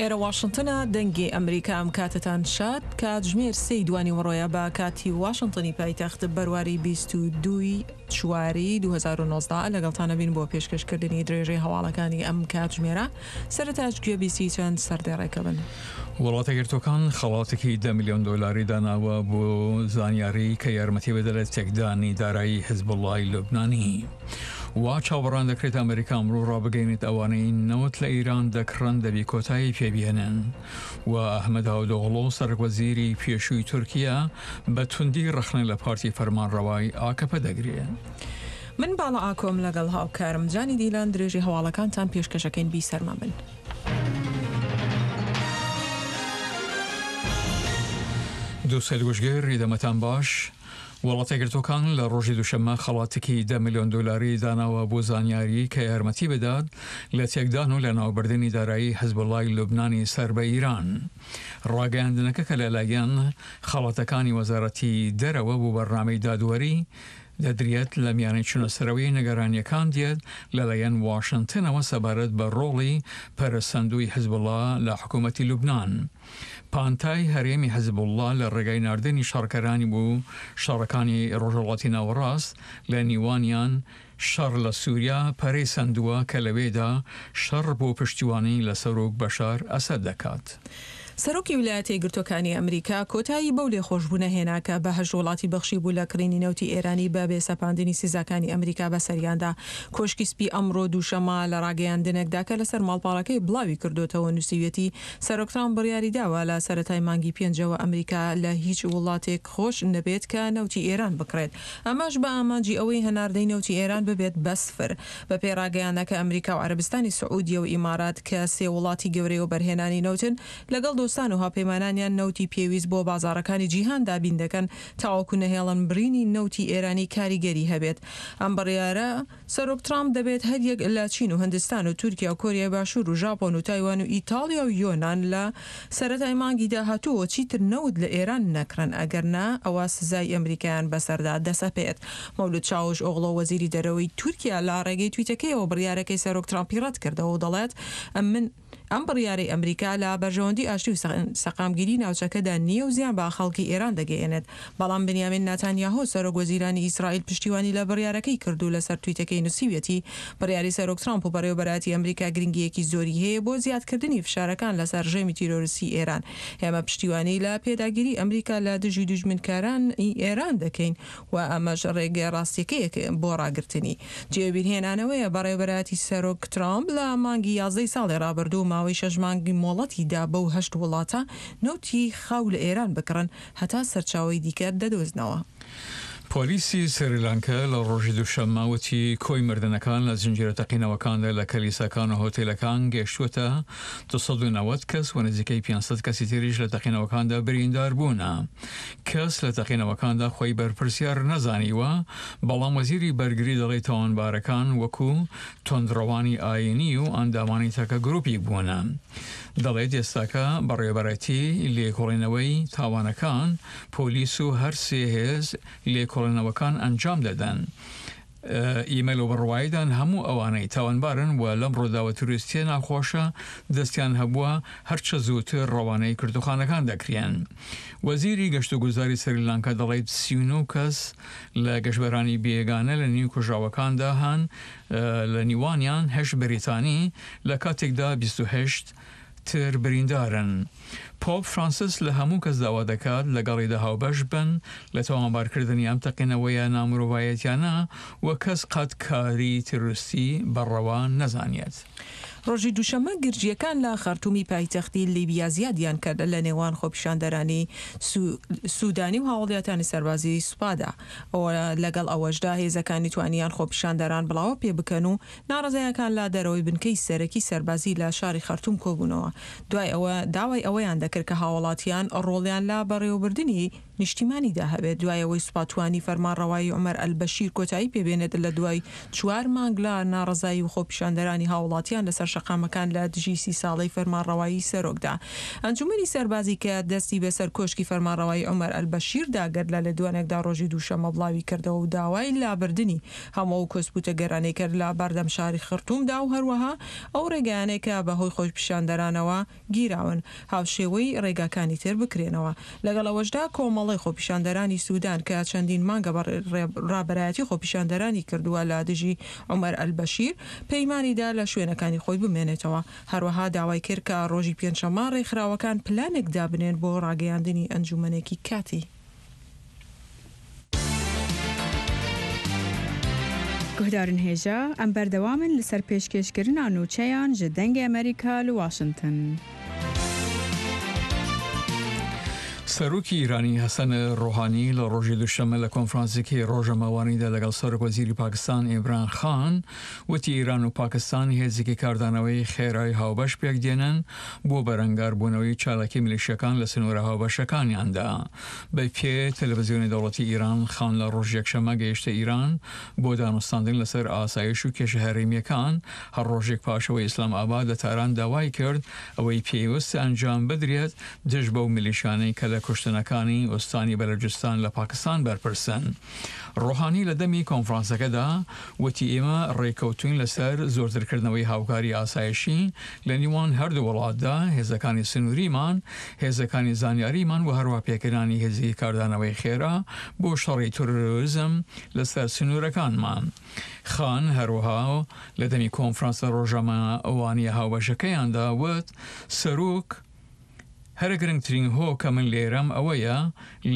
ئێرە واشنتنە دەنگی ئەمریکا ئەم کاتەتان شاد کاتژمێر سێی دوانیوەڕۆیە بە کاتی واشنتنی پایتەخت بەرواری 22 چواری 2019 لەگەڵتانە بین بۆ پێشکەشکردنی درێژەی هەواڵەکانی ئەم کاتژمێرە سەرەتاش گوێبیستی چەند سەردێڕێکە بن. وڵاتەیەکگرتووەکان خەڵاتێکی دە ملیۆن دۆلاری داناوە بۆ زانیاری کە یارمەتی بدە لە تێکدانی دارایی حزبوڵڵای لوبنانی. وا چاوەڕان دەکرێت ئەمریکا ئەمڕۆ ڕابگەینێت ئەوانەی نەوت لە ئیران دەکڕن دەبی کۆتایی پێبهێنن و ئەحمەد داودئۆغڵۆ سەرۆکوەزیری پێشووی تورکیا بە توندی ڕەخنە لە پارتی فەرمانڕەوای ئاکەپە دەگرێت. من باڵا ئاکۆم لەگەڵ هاوکارم جانی دیلان درێژەی هەواڵەکانتان پێشکەشەکەین بیسەرمان بن. دووسەد گوشگر دەمەتان باش. وڵاتەیەکگرتووەکان لە ڕۆژی دووشەممە خەڵاتێکی دە ملیۆن دۆلاری داناوە بۆ زانیاری کە یارمەتی بدات لە تێکدان و لەناوبردنی دارایی حزبوڵای لوبنانی سەر بە ئیران. ڕاگەیاندنەکە کە لەلایەن خەڵاتەکانی وەزارەتی دەرەوە بۆ بەرنامەی دادوەری دەدرێت لە میانەی چونەسەرەوەی نگەرانیەکان دێت لەلایەن واشنتنەوە سەبارەت بە ڕۆڵی پەرەسەندووی حزبوڵا لە حکوومەتی لوبنان. پانتای هەرێمی حزبوڵڵا لە ڕێگای ناردنی شەڕکەرانی بۆ شەڕەکانی ڕۆژهەڵاتی ناوەڕاست لە نیوانیان شەڕ لە سوریا پەرەی سەندووە کە لەوێدا شەڕ بۆ پشتیوانی لە سەرۆک بەشار ئەسەد دەکات. سەرۆکی ویلایەتە یەکگرتووەکانی ئەمریکا کۆتایی بەو لێخۆشبوونە هێنا کە بە هەشت وڵاتی بەخشیبوو لە کڕینی نەوتی ئێرانی بە بێ سەپاندنی سزاکانی ئەمریکا بەسەریاندا. کۆشکی سپی ئەمڕۆ دووشەممە لە ڕاگەیاندنێکدا کە لەسەر ماڵپەڕەکەی بڵاوی کردۆتەوە نووسیویەتی سەرۆک ترامپ بڕیاریداوە لە سەرەتای مانگی پێنجەوە ئەمریکا لە هیچ وڵاتێک خۆش نەبێت کە نەوتی ئێران بکڕێت، ئەمەش بە ئامانجی ئەوەی هەناردەی نەوتی ئێران ببێت بە سفر. بەپێی ڕاگەیاندنەکە ئەمریکا و عەرەبستانی سعودیە و ئیمارات کە سێ وڵاتی گەورەی وەبەرهێنانی نەوتن، لەگەڵ دۆستان و هاوپەیمانانیان نەوتی پێویست بۆ بازاڕەکانی جیهان دابین دەکەن تاوەکو نەهێڵن بڕینی نەوتی ئێرانی کاریگەری هەبێت. ئەم بڕیارە. سەرۆک ترامپ دەبێت هەریەک لە چین و هندستان و تورکیا و کۆریای باشوور و ژاپۆن و تایوان و ئیتاڵیا و یۆنان لە سەرەتای مانگی داهاتووەوە چیتر نەوت لە ئێران نەکڕن ئەگەر نا ئەوا سزای ئەمریکایان بەسەردا دەسەپێت. مەولود چاوش ئۆغڵۆ وەزیری دەرەوەی تورکیا لە ڕێگەی تویتەکەیەوە بڕیارەکەی سەرۆک ترامپی ڕەتکردەوە و دەڵێت من ئەم بڕیارەی ئەمریکا لە بەرژەوەندی ئاشتی و سەقامگیری ناوچەکەدا نییە و زیان بە خەڵکی ئێران دەگەیەنێت. بەڵام بنیامین ناتانیاهۆ، سەرۆک وەزیرانی ئیسرائیل پشتیوانی لە بڕیارەکەی کرد و لەسەر تویتەکەی نووسیویەتی، بڕیاری سەرۆک ترامپ و بەڕێوەبەرایەتی ئەمریکا گرنگییەکی زۆری هەیە بۆ زیادکردنی فشارەکان لەسەر ڕژێمی تیرۆریستی ئێران. ئێمە پشتیوانی لە پێداگیری ئەمریکا لە دژی دوژمنکارانی ئێران دەکەین و ئەمەش ڕێگە ڕاستیەکەیە بۆ ڕاگرتنی. جێی بیرهێنانەوەیە بەڕێوەبەرایەتی سەرۆک ترامپ لە مانگی یازدەی ساڵی ڕابردوو ماوەی شەش مانگ مۆڵەتی دا بەو هەشت وڵاتە نەوتی خاو لە ئێران بکڕن هەتا سەرچاوەی دیکە دەدۆزنەوە. پۆلیسی سریلانکا لە ڕۆژی دووشەممە وتی کۆی مردنەکان لە زنجیرە تەقینەوەکاندا لە کلیساکان و هۆتێلەکان گەیشتووەتە 290 کەس و نزیکەی 500 کەسی تریش لە تەقینەوەکاندا بریندار بوونە. کەس لە تەقینەوەکاندا خۆی بەرپرسیار نەزانیوە، بەڵام وەزیری بەرگری دەڵێت تاوانبارەکان وەکو توندڕەوانی ئایینی و ئەندامانی تاکە گروپیک بوونە. دەڵێت ئێستاکە بەڕێوەبەرایەتی لێکۆڵینەوەی تاوانەکان، پۆلیس و هەر سێ هێز لێکۆڵینەوەکان ئەنجام دەدەن. ئیمە لەو بڕوایەدان هەموو ئەوانەی تاوانبارن و لەم ڕووداوە تیرۆریستییە ناخۆشە دەستیان هەبووە هەرچە زووتر ڕەوانەی گرتووخانەکان دەکرێن. وەزیری گەشتوگوزاری سریلانکا دەڵێت 39 کەس لە گەشتبەرانی بێگانە لە نیو کوژراوەکاندا هەن لە نیوانیان هەشت بەریتانی لە کاتێکدا 28 تر بریندارن. پۆپ فرانسیس لە هەموو کەس داوا دەکات لەگەڵیدا هاوبەش بن لە تاوانبارکردنی ئەم تەقینەوەیە نامرۆڤایەتیانە و کەس قەت کاری تیرۆریستی بە ڕەوا نەزانێت. ڕۆژی دووشەممە گرژییەکان لە خەرتومی پایتەختی لیبیا زیادیان کرد لە نێوان خۆپیشاندەرانی سودانی و هاوڵیاتانی سەربازیی سوپادا. لەگەڵ ئەوەشدا هێزەکانی توانیان خۆپیشاندەران بڵاوە پێبکەن و ناڕەزایەکان لە دەرەوەی بنکەی سەرەکی سەربازی لە شاری خەرتوم کۆبوونەوە، دوای ئەوە داوای ئەوەیان دەکرد کە هاوڵاتیان ڕۆڵیان لە بەڕێوەبردنی. نیشتیمانیدا هەبێت دوای ئەوەی سوپا توانی فەرمانڕەوایی عومەر ئەلبەشیر کۆتایی پێبێنێت لە دوای چوار مانگ لە ناڕەزایی و خۆپیشاندەرانی هاوڵاتیان لەسەر شەقامەکان لە دژی سی ساڵەی فەرمانڕەوایی سەرۆکدا. ئەنجومەنی سەربازی کە دەستی بەسەر کۆشکی فەرمانڕەوایی عومەر ئەلبەشیردا گرت لە لێدوانێکدا ڕۆژی دووشەممە بڵاویکردەوە و داوای لابردنی هەموو ئەو کۆسپ و تەگەرانەی کرد لە بەردەم شاری خرتومدا و هەروەها ئەو ڕێگایانەی کە بەهۆی خۆپیشاندەرانەوە گیراون هاوشێوەی ڕێگاکانی تر بکرێنەوە. لەگەڵ ئەوەشدا کۆمەڵەی خۆپیشاندەرانی سودان کە چەندین مانگە بە ڕابەرایەتی خۆپیشاندەرانی کردووە لە دژی عومەر ئەلبەشیر پەیمانی دا لە شوێنەکانی خۆی بمێنێتەوە. هەروەها داوای کرد کە ڕۆژی پێنجشەممە ڕێکخراوەکان پلانێک دابنێن بۆ ڕاگەیاندنی ئەنجومەنێکی کاتی. Guhdarên hêja, em berdewam in li ser pêşkêşkirina nûçeyan ji Dengê Amerîka li Washington. سەرۆکی ئیرانی حەسەن ڕۆحانی لە ڕۆژی دووشەممە لە کۆنفرانسێکی ڕۆژەمەوانیدا لەگەڵ سەرۆک وەزیری پاکستان ئیمران خان وتی ئیران و پاکستان هێزێکی کاردانەوەی خێرای هاوبەش پێکدێنن بۆ بەرەنگاربوونەوەی چالاکی میلیشیاکان لە سنوورە هاوبەشەکانیاندا. بە پێ تەلەڤزیۆنی دەوڵەتی ئیران، خان لە ڕۆژی یەکشەممە گەیشتە ئیران بۆ دانوستاندن لەسەر ئاسایش و کێشە هەرێمییەکان، هەر ڕۆژێک پاش ئەوەی ئیسلام ئاباد لە تاران داوای کرد ئەوەی پێویستە ئەنجام بدرێت دژ بەو میلیشیانەی کە لە کوشتنەکانی ئوستانی بەلوجستان لە پاکستان بەرپرسن. ڕۆحانی لە دەمی کۆنفرانسەکەدا وتی ئێمە ڕێککەوتووین لەسەر زۆرترکردنەوەی هاوکاری ئاسایشی لە نیوان هەردوو وڵاتدا، هێزەکانی سنووریمان، هێزەکانی زانیاریمان و هەروەها پێکهێنانی هێزێکی کاردانەوەی خێرا بۆ شەڕی ترۆریزم لەسەر سنوورەکانمان. خان هەروەها لە دەمی کۆنفرانسە ڕۆژنامەوانییە هاوبەشەکەیاندا وت سەرۆک، هەرە گرنگترین هۆ کە من لێرەم ئەوەیە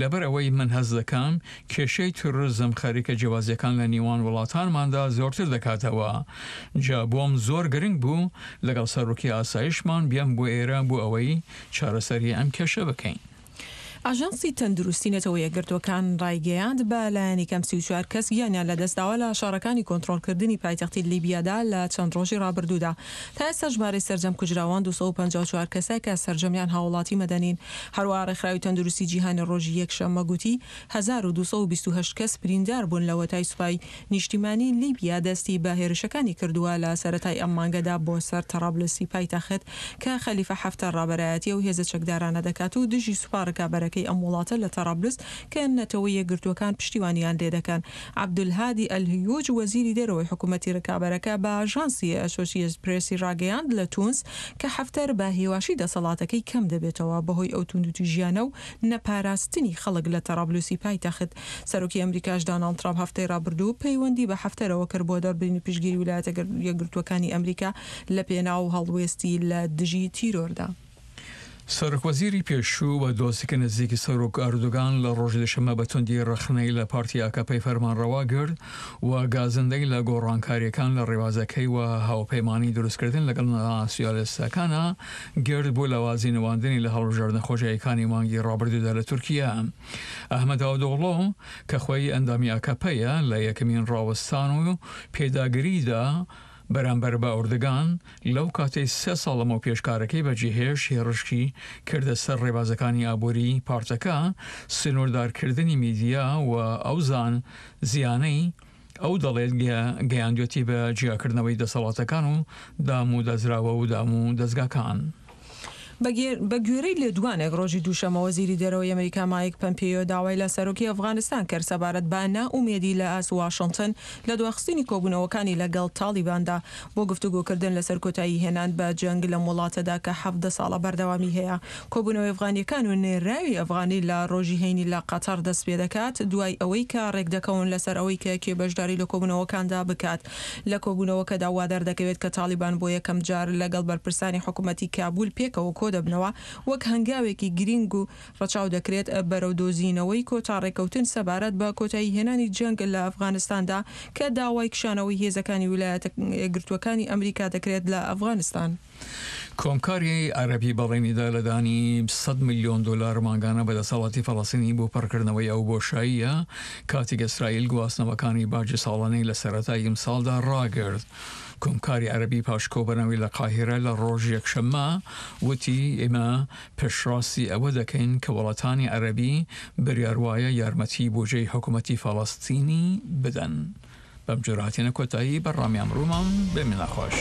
لەبەر ئەوەی من هەست دەکەم کێشەی تیرۆرزم خەریکە جیاوازیەکان لە نیوان وڵاتانماندا زۆرتر دەکاتەوە جا بۆم زۆر گرنگ بوو لەگەڵ سەرۆکی ئاسایشمان بێم بۆ ئێرە بۆ ئەوەی چارەسەری ئەم کێشە بکەین. ئاژانسی تەندروستی نەتەوە یەکگرتووەکان ڕایگەیاند، بە لایەنی کەم 34 کەس گیانیان لەدەستداوە لە شەڕەکانی کۆنترۆڵکردنی پایتەختی لیبیادا لە چەند ڕۆژی ڕابردوودا. تا ئێستا ژمارەی سەرجەم کوژراوان 254 کەسە کە سەرجەمیان هاوڵاتی مەدەنین. هەروەها ڕێکخراوی تەندروستی جیهانی ڕۆژی یەکشەممە گوتی 1228 کەس بریندار بوون لەوەتای سوپای نیشتیمانی لیبیا دەستی بە هێرشەکانی کردووە لە سەرەتای ئەم مانگەدا بۆ سەر تەڕابلسی پایتەخت کە خەلیفە حەفتەر ڕابەرایەتی ئەو هێزە چەکدارانە دەکات و دژی سوپا ڕکابەرەکەی ئەم وڵاتە لە تەڕابلس کە نەتەوە یەکگرتووەکان پشتیوانیان لێدەکەن. عەبدولهادی ئەلهیوج وەزیری دەرەوەی حکومەتی ڕکابەرەکە بە ئاژانسی ئەسۆسیەتد پرێسی ڕاگەیاند لە تونس کە حەفتەر بە هێواشی دەسەڵاتەکەی کەم دەبێتەوە بەهۆی ئەو توندوتیژیانە و نەپاراستنی خەڵک لە تەڕابلوسی پایتەخت. سەرۆکی ئەمریکاش داناڵد ترامپ هەفتەی ڕابردوو پەیوەندی بە حەفتەرەوە کرد بۆ دەربرینی پشتگیری ویلایەتە یەکگرتووەکانی ئەمریکا لە پێناو هەڵوێستی لە دژی تیرۆردا. سەرۆکوەزیری پێشوو و دۆستێکی نزیکی سەرۆک ئەردۆگان لە ڕۆژی دووشەممە بە توندی ڕەخنەی لە پارتی ئاکەپەی فەرمانڕەوا گرت و گازندەی لە گۆڕانکارییەکان لە ڕێبازەکەی و هاوپەیمانی دروستکردن لەگەڵ ناسیۆنالیستەکانا گرت بۆ لاوازی نواندنی لە هەڵبژاردنە خۆجێیەکانی مانگی ڕابردوودا لە تورکیا. ئەحمەد داودئۆغڵۆ کە خۆی ئەندامی ئاکەپەیە لە یەکەمین ڕاوەستان و پێداگریدا بەرامبەر بە ئۆردگان لەو کاتەی سێ ساڵ لەمەوپێش کارەکەی بەجێهێشت هێڕشی کردە سەر ڕێبازەکانی ئابووری پارتەکە، سنووردارکردنی میدیا و ئەو زیانەی ئەو دەڵێت گەیاندوێتی بە جیاکردنەوەی دەسەڵاتەکان و دام و دەزراوە و دام و دەزگاکان. بەگوێرەی لێدوانێک ڕۆژی دووشەممە وەزیری دەرەوەی ئەمریکا مایک پەمپێیۆ داوای لە سەرۆکی ئەفغانستان کرد سەبارەت بە نائومێدی لە ئاست واشنتن لە دواخستنی کۆبوونەوەکانی لەگەڵ تاڵیباندا بۆ گفتوگۆکردن لەسەر کۆتایی هێنان بە جەنگ لەم وڵاتەدا کە 17 ساڵە بەردەوامی هەیە. کۆبوونەوەی ئەفغانییەکان و نێرراوی ئەفغانی لە ڕۆژی هەینی لە قەتەڕ دەستپێدەکات دوای ئەوەی کە ڕێکدەکەون لەسەر ئەوەی کە کێ بەشداری لە کۆبوونەوەکاندا بکات. لە کۆبوونەوەکەدا وادەردەکەوێت کە تاڵیبان بۆ یەکەم جار لەگەڵ بەرپرسانی حکومەتی کابول پێکەوە کۆدەبنەوە وەک هەنگاوێکی گرینگ و ڕەچاو دەکرێت بەرەو دۆزینەوەی کۆتا ڕێککەوتن سەبارەت بە کۆتاییهێنانی جەنگ لە ئەفغانستاندا کە داوای کشانەوەی هێزەکانی ویلایەتە یەکگرتووەکانی ئەمریکا دەکرێت لە ئەفغانستان. کۆمکاری عەرەبی بەڵێنی دا لە دانی سەد ملیۆن دۆلار مانگانە بە دەسەڵاتی فەڵەستینی بۆ پڕکردنەوەی ئەو بۆشاییە کاتێک ئیسرائیل گواستنەوەکانی باجی ساڵانەی لە سەرەتای ئیمساڵدا ڕاگرت. کۆمکاری عەرەبی پاش کۆبەنەوەی لە قاهیرە لە ڕۆژی یەکشەممە وتی، ئێمە پشتڕاستی ئەوە دەکەین کە وڵاتانی عەرەبی بریاروایە یارمەتی بوجەی حکومەتی فەڵەستینی بدەن. بەم جۆرە هاتینە کۆتایی بەرنامەی ئەمڕۆمان، بمێنە خۆش.